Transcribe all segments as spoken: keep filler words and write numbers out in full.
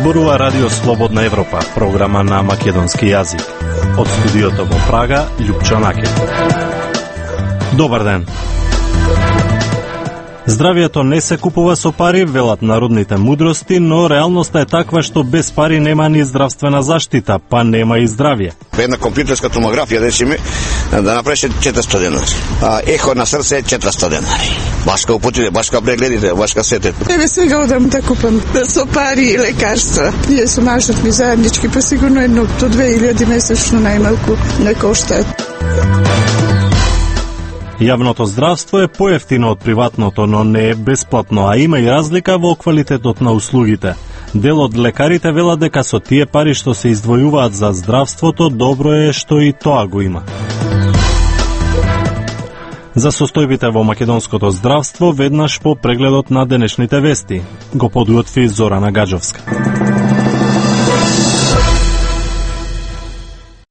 Зборува Радио Слободна Европа, програма на македонски јазик. Од студиото во Прага, Љупчо Накев. Добар ден. Здравието не се купува со пари, велат народните мудрости, но реалноста е таква што без пари нема ни здравствена заштита, па нема и здравје. Една компјутерска томографија, речеме, да направише четиристо денари. А ехо на срце четиристо денари. Башка употите, башка прегледите, башка сете. Тебе сега одам да купам со пари и лекарства. Ние со мажот ми заеднички, па сигурно едно до две илјади месечно најмалку не коштаат. Јавното здравство е поевтино од приватното, но не е бесплатно, а има и разлика во квалитетот на услугите. Дел од лекарите велат дека со тие пари што се издвојуваат за здравството, добро е што и тоа го има. За состојбите во македонското здравство, веднаш по прегледот на денешните вести. Го подготви Зорана Гаджовска.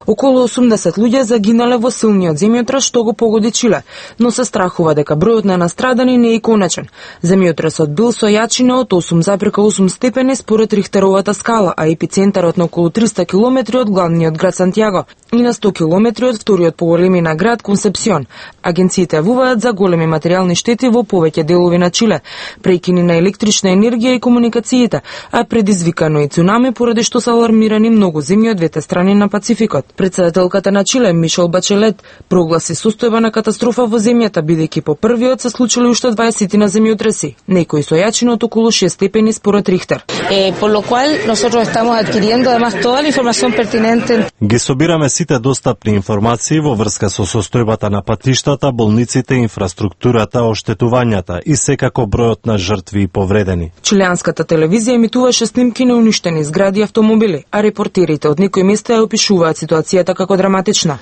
Околу осумдесет луѓе загинале во силниот земјотрес што го погоди Чиле, но се страхува дека бројот на настрадани не е конечен. Земјотресот бил со јачина од осум запирка осум степени според Рихтеровата скала, а епицентарот на околу триста километри од главниот град Сантјаго и на сто километри од вториот по големина град Консепсион. Агенциите вуваат за големи материјални штети во повеќе делови на Чиле, прекини на електрична енергија и комуникациите, а предизвикано и цунами поради што се алармирани многу земји од двете страни на Пацификот. Председателката на Чиле, Мишел Бачелет, прогласи состојба на катастрофа во земјата, бидејќи по првиот се случили уште дваесет на земјотреси, некои со јачина од околу шест степени според Рихтер. Eh, por lo cual nosotros estamos adquiriendo además toda la información pertinente. Ги собираме сите достапни информации во врска со состојбата на патиштата, болниците, инфраструктурата, оштетувањата и секако бројот на жртви и повредени. Чилеанската телевизија емитуваше снимки на уништени згради и автомобили, а репортерите од некои места ја опишуваат ситуацијата како драматична.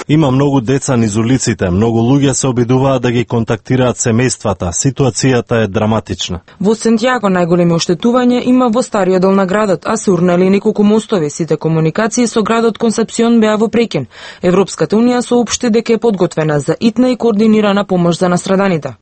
Има многу деца низ улиците, многу луѓе се обидуваат да ги контактираат семејствата. Ситуацијата е драматична. Во Сантјаго најголеми оштетувања има во стариот дел на градот, а се урнали неколку мостови. Сите комуникации со градот Консепсион беа во прекин. Европската унија соопшти дека е подготвена за итна и координирана помош за настраданите.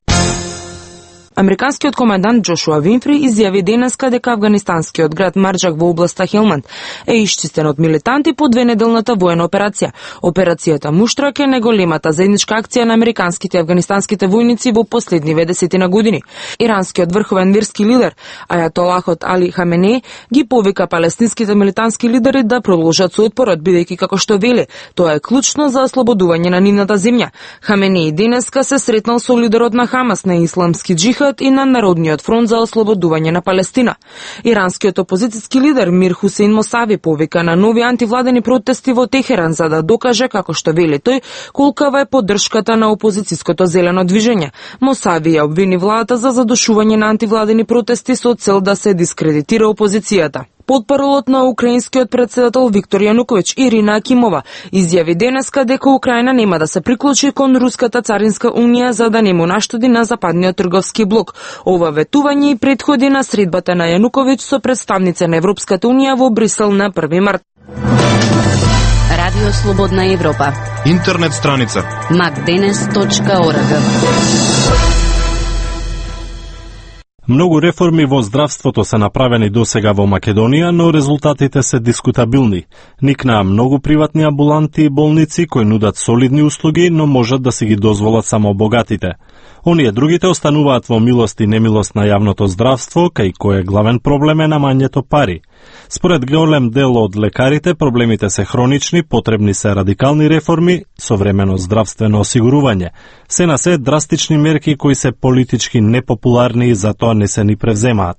Американскиот командант Џошуа Винфри изјави денеска дека афганистанскиот град Марџак во областа Хелманд е исчистен од милитанти по двенеделната воена операција. Операцијата Муштрак е најголемата заедничка акција на американските и афганистанските војници во последниве десетина години. Иранскиот врховен верски лидер Ајатолахот Али Хаменеј ги повика палестинските милитантски лидери да продолжат со отпорот, бидејќи како што вели, тоа е клучно за ослободување на нивната земја. Хаменеј денеска се сретнал со лидерот на Хамас, на исламски џихад и на Народниот фронт за ослободување на Палестина. Иранскиот опозицијски лидер Мир Хусейн Мосави повика на нови антивладени протести во Техеран за да докаже, како што вели тој, колкава е поддршката на опозицијското зелено движење. Мосави ја обвини владата за задушување на антивладени протести со цел да се дискредитира опозицијата. Потпаролот на украинскиот председател Виктор Јануковиќ, Ирина Акимова, изјави денеска дека Украина нема да се приклучи кон Руската царинска унија за да не му наштеди на западниот трговски блок. Ова ветување и предходи на средбата на Јануковиќ со представница на Европската унија во Брисел на први март. Радио Слободна Европа. Интернет страница макденес точка орг. Многу реформи во здравството се направени досега во Македонија, но резултатите се дискутабилни. Никнаа многу приватни амбуланти и болници кои нудат солидни услуги, но можат да си ги дозволат само богатите. Оние другите остануваат во милост и немилост на јавното здравство, кај кој е главен проблем е намањето пари. Според голем дел од лекарите, проблемите се хронични, потребни се радикални реформи, современо здравствено осигурување. Се на се драстични мерки кои се политички непопуларни и затоа не се ни превземаат.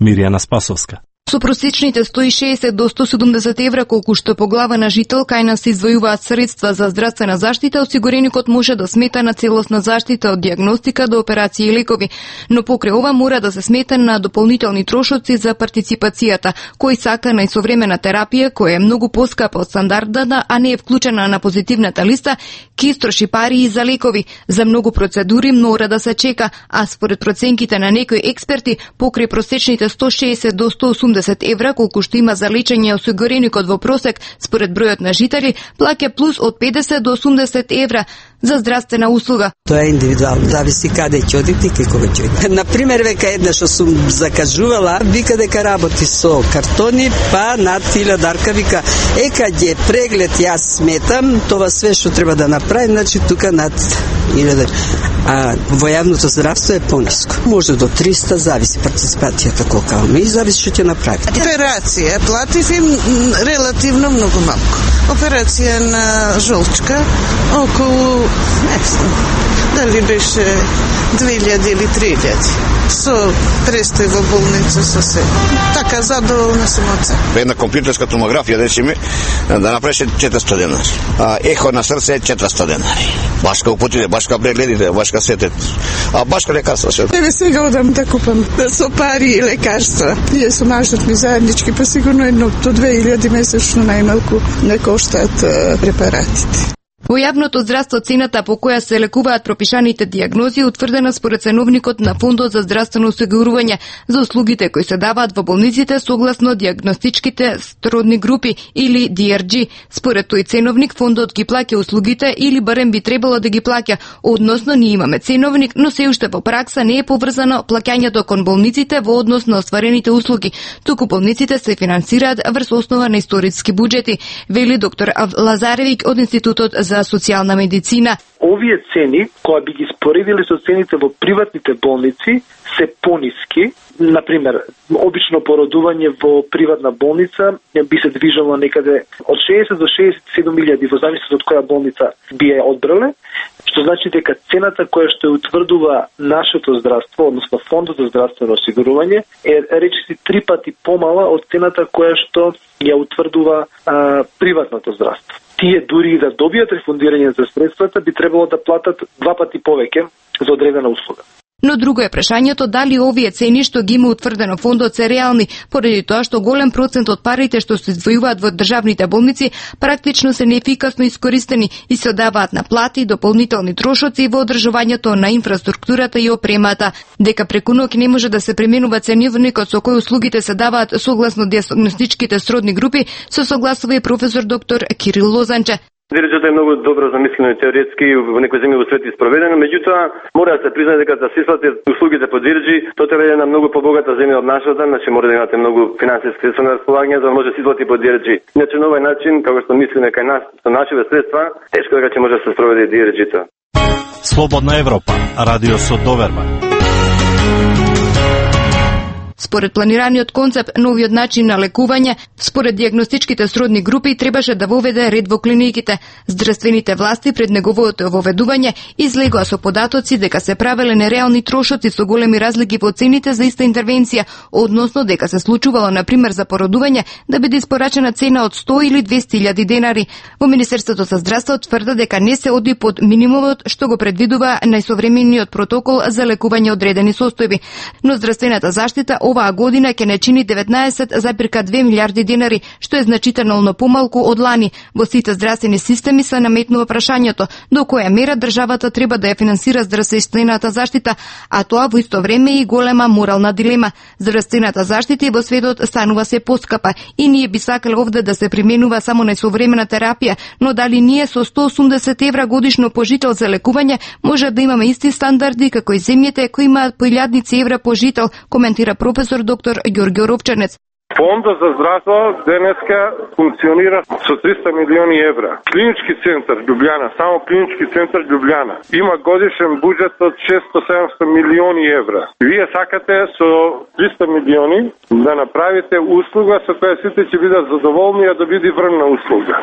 Мирјана Спасовска. Со просечните сто и шеесет до сто и седумдесет евра колку што по глава на жител кај нас се издвојуваат средства за здравствена заштита, осигуреникот може да смета на целосна заштита од дијагностика до операции и лекови, но покрај ова мора да се смета на дополнителни трошоци за партиципацијата, кој сака најсовремена терапија која е многу поскапа од стандардната, а не е вклучена на позитивната листа, ќе истроши пари и за лекови. За многу процедури мора да се чека, а според проценките на некои експерти, покрај просечните сто и шеесет до сто и осумдесет евра колку што има за лечење осигуреникот во просек според бројот на жители, плаќа плюс од педесет до осумдесет евра за здравствена услуга. Тоа е индивидуално, зависи каде ќе одите и кога ќе одите. На пример, века една што сум закажувала, вика дека работи со картони, па над илјадарка вика, е кај ќе преглед јас сметам, тоа све што треба да направи, значи тука над илјадар. А во јавното здравство е пониско. Може до триста, зависи партиципацијата колка има и зависи што ќе направи. Операција платив им релативно многу малку. Операција на жолчка околу, не знам, дали беше две илјади или три илјади. Со престој во болница, со се. Така задоволна сум од се. Една компјутерска томографија, речеме, да направеше четиристо денари. А ехо на срце четиристо денари. Башка употите, башка прегледите, башка сетет. А башка лекарства се. Еве сега одам да купам со пари и лекарства. Ние со мажот ми заеднички, па сигурно едно до две илјади месечно најмалку не коштаат препаратите. Во јавното здравство цената по која се лекуваат пропишаните дијагнози е утврдена според ценовникот на Фондот за здравствено осигурување за услугите кои се даваат во болниците согласно дијагностичките сродни групи или Ди Ар Джи. Според тој ценовник фондот ги плаќа услугите или барем би требало да ги плаќа, односно ние имаме ценовник, но се уште во пракса не е поврзано плаќањето кон болниците во однос на остварените услуги, туку болниците се финансираат врз основа на историски буџети, вели доктор Лазаревиќ од Институтот за социјална медицина. Овие цени, кои би ги споредили со цените во приватните болници, се пониски. Например, обично породување во приватна болница би се движело некаде од шеесет до шеесет и седум илјади, во зависност од која болница би ја одбрале, што значи дека цената која што ја утврдува нашето здравство, односно Фондот за здравствено осигурување, е речиси три пати помала од цената која што ја утврдува а, приватното здравство. Тие дури да добијат рефундирање за средствата, би требало да платат два пати повеќе за одредена услуга. Но друго е прашањето дали овие цени што ги има утврдено фондот се реални, поради тоа што голем процент од парите што се издвојуваат во државните болници практично се неефикасно искористени и се одаваат на плати, дополнителни трошоци во одржувањето на инфраструктурата и опремата. Дека преку ноќ не може да се применува ценовникот со кој услугите се даваат согласно дијагностичките сродни групи, се согласува и професор доктор Кирил Лозанче. Ди-Ар-Джи е многу добро замислено и теоретски во некои земји во свет испроведено, меѓутоа мора да се признае дека да се исплатат услугите по Ди-Ар-Джи, тоа треба да е една многу побогата земја од нашата, значи мора да имате многу финансиски средства на располагање за да може да се исплати по Ди-Ар-Джи. Иначе на овој начин, како што мислиме кај нас со нашите средства, тешко дека ќе може да се спроведе Ди-Ар-Джи-то. Слободна Европа, радио со доверба. Според планираниот концепт, новиот начин на лекување, според дијагностичките сродни групи, требаше да воведе ред во клиниките. Здравствените власти пред неговото воведување излегоа со податоци дека се правеле нереални трошоци со големи разлики во цените за иста интервенција, односно дека се случувало, например, за породување да биде испорачена цена од сто или двесте илјади денари. Во Министерството за здравство тврда дека не се оди под минимумот што го предвидува најсовремениот протокол за лекување одредени состојби. Но здравствената заштита оваа година ќе не чини деветнаесет зарез две милијарди денари, што е значително помалку од лани. Во сите здравствени системи се наметнува прашањето до која мера државата треба да ја финансира здравствената заштита, а тоа во исто време и голема морална дилема. Здравствената заштита во светот станува се поскапа и ние би сакале овде да се применува само најсовремена терапија, но дали ние со сто и осумдесет евра годишно пожител за лекување може да имаме исти стандарди како и земјите кои имаат по илјадници евра пожител, коментира професор доктор Ѓорѓе Ровчанец. Фондот за здравство денеска функционира со триста милиони евра. Клинички центар Љубљана, само клинички центар Љубљана, има годишен буџет од шесто до седумстотини милиони евра. Вие сакате со триста милиони да направите услуга со која сите ќе бидат задоволни, а да биде врвна услуга.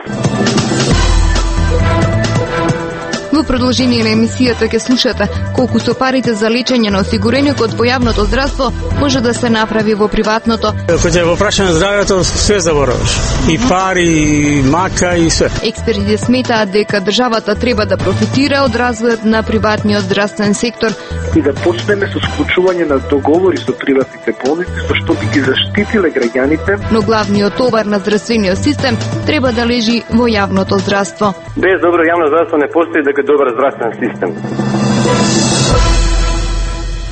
Во продолжение на емисијата ќе слушате колку со парите за лечење на осигуреникот во јавното здравство може да се направи во приватното. Кога ќе го прашаме здравјето, све забораваш. И пари, и мака, и све. Експертите сметаат дека државата треба да профитира од развојот на приватниот здравствен сектор и да почнеме со склучување на договори со приватните болници, со што би ги заштитиле граѓаните. Но главниот товар на здравствениот систем треба да лежи во јавното здравство. Без добро јавно здравство не постои дека добар здравствен систем.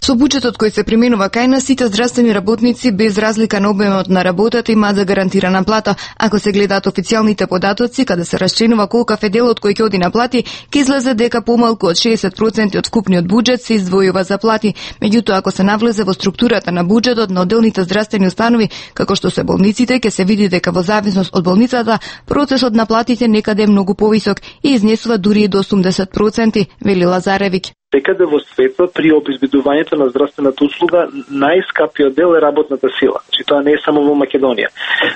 Со буџетот кој се применува кај нас, сите здравствени работници без разлика на обемот на работата имаат загарантирана плата. Ако се гледаат официјалните податоци, каде се расчленува колкав е делот кој ќе оди на плати, ќе излезе дека помалку од шеесет проценти од вкупниот буџет се издвојува за плати. Меѓутоа, ако се навлезе во структурата на буџетот на одделните здравствени установи, како што се болниците, ќе се види дека во зависност од болницата, процесот на платите некаде е многу повисок и изнесува дури и до осумдесет проценти, вели Лазаревиќ. Секаде во светот при обезбедувањето на здравствената услуга најскапиот дел е работната сила. Значи тоа не е само во Македонија.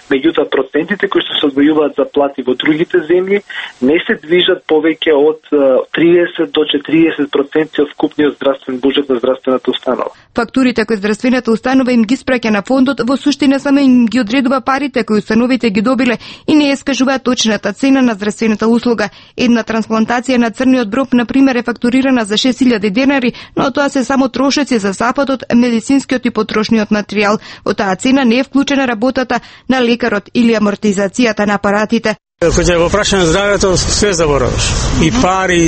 Меѓутоа процентите кои што се одвојуваат за плати во другите земји не се движат повеќе од триесет до четириесет проценти од вкупниот здравствен буџет на здравствената установа. Фактурите кои здравствената установа им ги спраќа на фондот, во суштина само им ги одредува парите кои установите ги добиле и не ескажува точната цена на здравствената услуга. Една трансплантација на црниот дроб, на пример, е фактурирана за шест илјади денари, но тоа се само трошоци за сапатот, медицинскиот и потрошниот материјал. Во таа цена не е вклучена работата на лекарот или амортизацијата на апаратите. Кога ќе го прашање здравјето, све забораваш. И пари,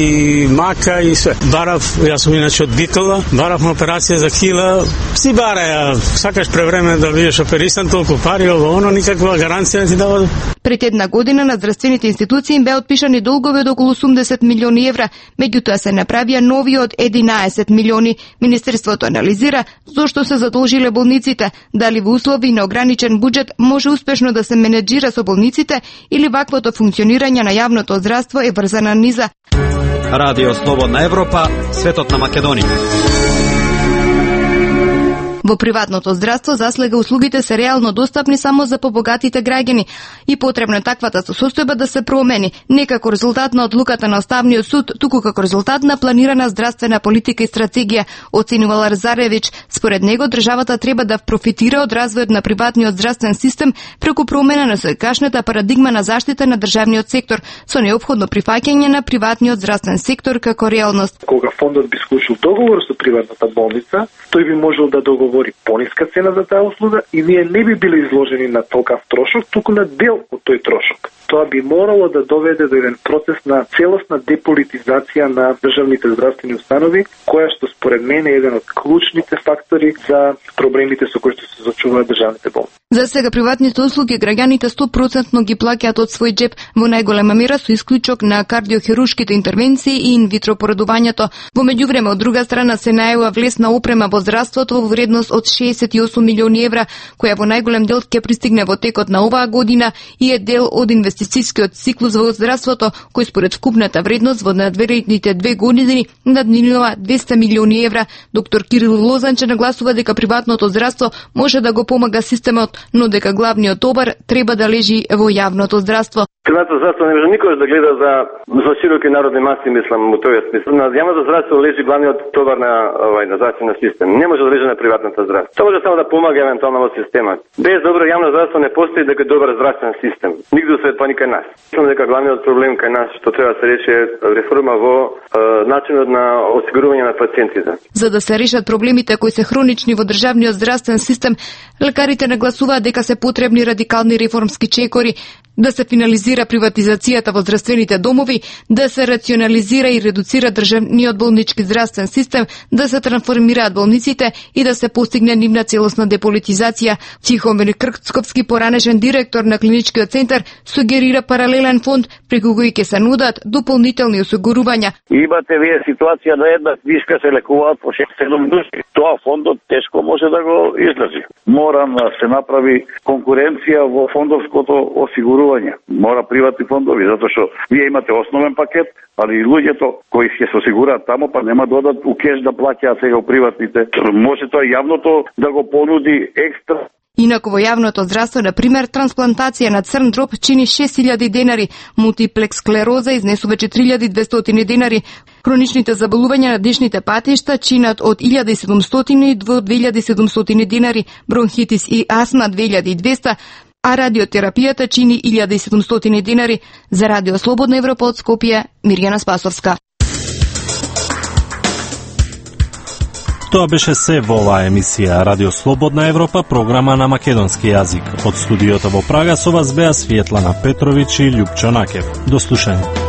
и мака, и све. Барав, јас сум иначе од Битола, барав на операција за кила, си бараја, сакаш превреме да бидеш оперисан, толку пари, ово, оно, никаква гаранција не ти дава. Пред една година на здравствените институции им беа отпишани долгови од околу осумдесет милиони евра, меѓутоа се направија нови од единаесет милиони. Министерството анализира зошто се задолжиле болниците, дали во услови на ограничен буџет може успешно да се менеджира со болниците или ваквото функционирање на јавното здравство е врзана низа. Радио Слободна Европа, светот на Македонија. Во приватното здравство заслега услугите се реално достапни само за побогатите граѓани и потребно е таквата состојба да се промени, не како резултат на одлуката на Уставниот суд, туку како резултат на планирана здравствена политика и стратегија, оценува Лазаревиќ. Според него државата треба да профитира од развојот на приватниот здравствен систем преку промена на секогашната парадигма на заштита на државниот сектор, со неопходно прифаќање на приватниот здравствен сектор како реалност. Кога фондот би склучил договор со приватната болница, тој би можел да договори пониска цена за таа услуга и ние не би били изложени на толкав трошок, туку на дел од тој трошок. Тоа би морало да доведе до еден процес на целосна деполитизација на државните здравствени установи, која што според мене е еден од клучните фактори за проблемите со кои што се соочуваат државните болници. За сега приватните услуги граѓаните сто проценти ги плаќаат од свој џеп, во најголема мера со исклучок на кардиохирушките интервенции и инвитро поредувањето. Во меѓувреме, од друга страна се најава влез на опрема во здравството во вредност од шеесет и осум милиони евра, која во најголем дел ќе пристигне во текот на оваа година и е дел од инвестицијскиот циклус во здравството, кој според вкупната вредност во надвредните две години надминува двесте милиони евра. Доктор Кирил Лозанче нагласува дека приватното здравство може да го помага системот, но дека главниот товар треба да лежи во јавното здравство. Приватното здравство не може никош да гледа за за широки народни маси, мислам, во тој смисла. На јавното здравство лежи главниот товар на овај на здравствениот систем. Не може да лежи на приватното здравство. Тоа може само да помага евентуално во системот. Без добро јавно здравство не постои дека добар здравствен систем. Нигде во свет, па ни кај нас. Мислам дека главниот проблем кај нас што треба да се рече е реформа во е, начинот на осигурување на пациентите. За да се решат проблемите кои се хронични во државниот здравствен систем, лекарите нагласуваат дека се потребни радикални реформски чекори, да се финализира приватизацијата во здравствените домови, да се рационализира и редуцира државниот болнички здравствен систем, да се трансформираат болниците и да се постигне нивна целосна деполитизација. Тихомир Крцковски, поранешен директор на клиничкиот центар, сугерира паралелен фонд преку кој ќе се нудат дополнителни осигурувања. Имате вие ситуација на една книжка се лекуваат по шест-седум души. Тоа фондот тешко може да го издржи. Мора да се направи конкуренција во фондовското осигурување. Мора приватни фондови, затоа што вие имате основен пакет, али и луѓето кои ќе се осигураат тамо, па нема да одат у кеш да плаќаат сега у приватните. Може тоа јавното да го понуди екстра. Инаку во јавното здравство, на пример, трансплантација на црн дроб чини шест илјади денари, мултиплекс склероза изнесува четири илјади и двестотини денари. Хроничните заболувања на дишните патишта чинат од илјада и седумстотини до две илјади и седумстотини денари, бронхитис и астма две илјади и двесте, а радиотерапијата чини илјада и седумстотини денари. За Радио Слободна Европа од Скопје, Мирјана Спасовска. Тоа беше се во оваа емисија Радио Слободна Европа, програма на македонски јазик. Од студиото во Прага со вас беа Светлана Петровиќ и Љупчо Накев. До слушање.